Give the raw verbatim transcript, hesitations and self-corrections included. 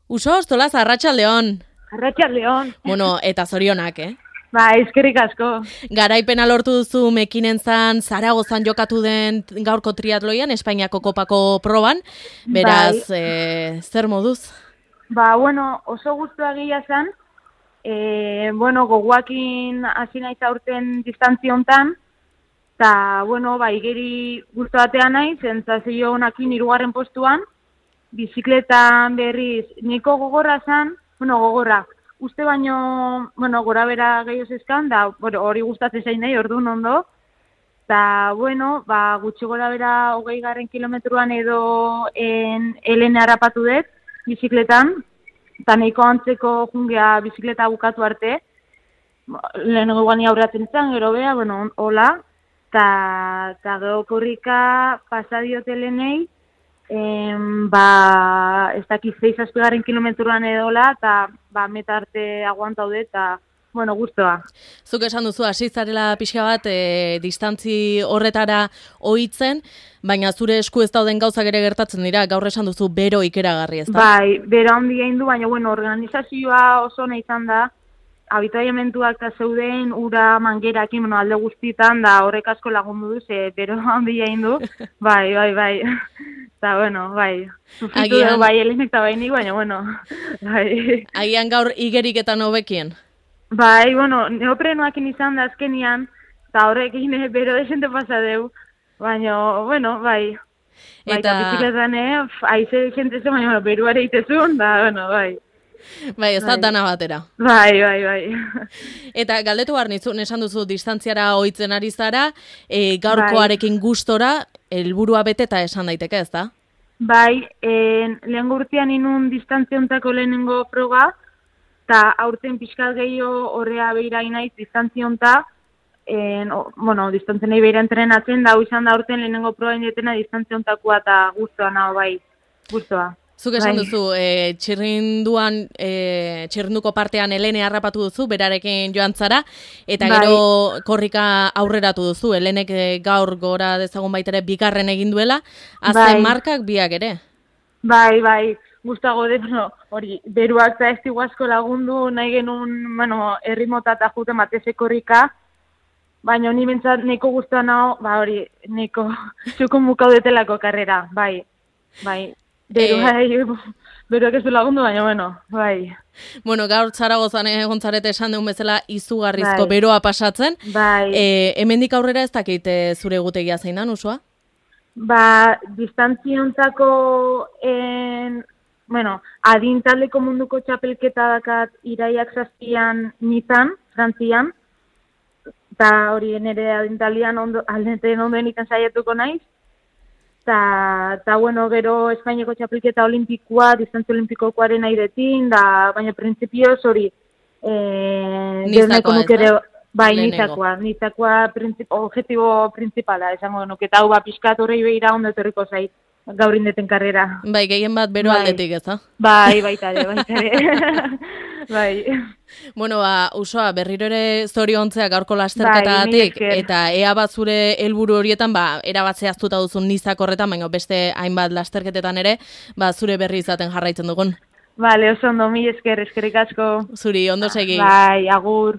Uso, ostolaz, arratsaldeon. Arratsaldeon. Bueno, eta zorionak, eh? Ba, eskerrik asko. Garaipena lortu duzu Mekinenzan, Zaragozan jokatu den gaurko triatloian, Espainiako kopako proban. Beraz, Bai. e, zer moduz? Ba, bueno, oso guztua gila zen. E, bueno, goguakin hasi naiz aurten distantzia hontan. Ta, bueno, ba, igeri guztu batean naiz, sentsazio honakin hirugarren postuan. Bizikletan berriz, niko gogorra zen, bueno, gogorra. Uste baino, bueno, gora bera gehiago zizkan, da bueno, hori gustatzen zain nahi, orduan ondo. Eta, bueno, ba, gutxi gora bera hogei garren kilometruan edo en Helene harrapatu dut, bizikletan. Eta nahiko antzeko jungea bizikleta bukatu arte. Lehenengo guani aurratzen zen, gero bea, bueno, hola. Eta gero korrika pasadiot Helenei, em, ba, ez dakiz zeiz azpigarren kilometruan edola, eta ba, meta arte aguantaude, eta bueno, guztua. Zuk esan duzu, hasi zarela pixka bat, e, distantzi horretara ohitzen, baina zure esku ez dauden gauzak ere gertatzen dira, gaur esan duzu bero ikeragarri, ez da? Bai, bero handi egin du, baina bueno, organizazioa oso ona izan da, habitaiamentuak eta zeuden ura mangerakin, bueno, alde guztietan, da horrek asko lagundu du, ze bero handi egin du, bai, bai, bai. Eta, bueno, bai, sufritu dugu bai Helenek eta bai nik, baina, bueno, bai. Agian gaur igerik eta nobekien? Bai, bueno, neoprenoakin izan da azkenian, eta horrek egin bero desente pasa deu, baina, bueno, bai. Bai, eta bizikletan, eh, aize jente zen, baina, bueno, beruare itezun, da, bueno, bai. Bai, ez da dana batera. Bai, bai, bai. Eta galdetu behar nizun, esan duzu distantziara ohitzen ari zara, e, gaurkoarekin gustora, helburua beteta esan daiteke, ez da? Bai, en, lehen urtean inun distantziontako lehenengo froga, eta aurten pixkat gehiago horrea behira inaiz distantzionta, en, o, bueno, distantzionei behira entrenatzen, da izan da aurten lehenengo proba indetena distantziontakoa eta guztua nago, bai, guztua. Zuk esan duzu, e, txirrinduan, e, txirrinduko partean Helene harrapatu duzu, berarekin joan zara, eta bai. Gero korrika aurreratu duzu, Helenek gaur gora dezagun baitere bigarren egin duela, azken bai. Markak biak ere? Bai, bai, gustago de, no, hori, beruak eta ez asko lagundu, nahi genuen, bueno, errimota eta juten bateze korrika, baina ni bentsat neko guztua nago, ba hori, neko txukun mukaudetelako karrera, bai, bai. Beru, bai, beruak ez du lagundu, baina, bueno, bai. Bueno, gaur Zaragozan egon zarete esan deun bezala izugarrizko bai. Beroa pasatzen. Bai. E, hemendik aurrera ez dakit zure egutegia zein da, Usua? Ba, distantziontako, en, bueno, adintaldeko munduko txapelketa dakat iraiak zazpian nizan, Frantzian, eta hori nire adintaldian ondo, aldeten ondoen ikan saietuko naiz. Ta, ta bueno, gero Espainiako txapelketa olimpikoa, distantzia olimpikokoaren airetin, da, baina printzipioz hori, eh, nizakoa ez da? Bai, nizakoa, nizakoa printzip, objetibo printzipala, esango nuke, eta hau ba, pixkat horrei behira ondo etorriko zait, gaur indeten karrera. Bai, gehien bat bero bai. Aldetik, ez da? Bai, baitare, baitare. Bai. Bueno, ba, Usoa, berriro ere zoriontzea gaurko lasterketagatik, bai, eta ea bat zure helburu horietan, ba, erabat zehaztuta duzun nizak horretan, baina beste hainbat lasterketetan ere, ba, zure berri izaten jarraitzen dugun. Vale, oso ondo, mi esker, eskerrik asko. Zuri, ondo segi. Bai, agur.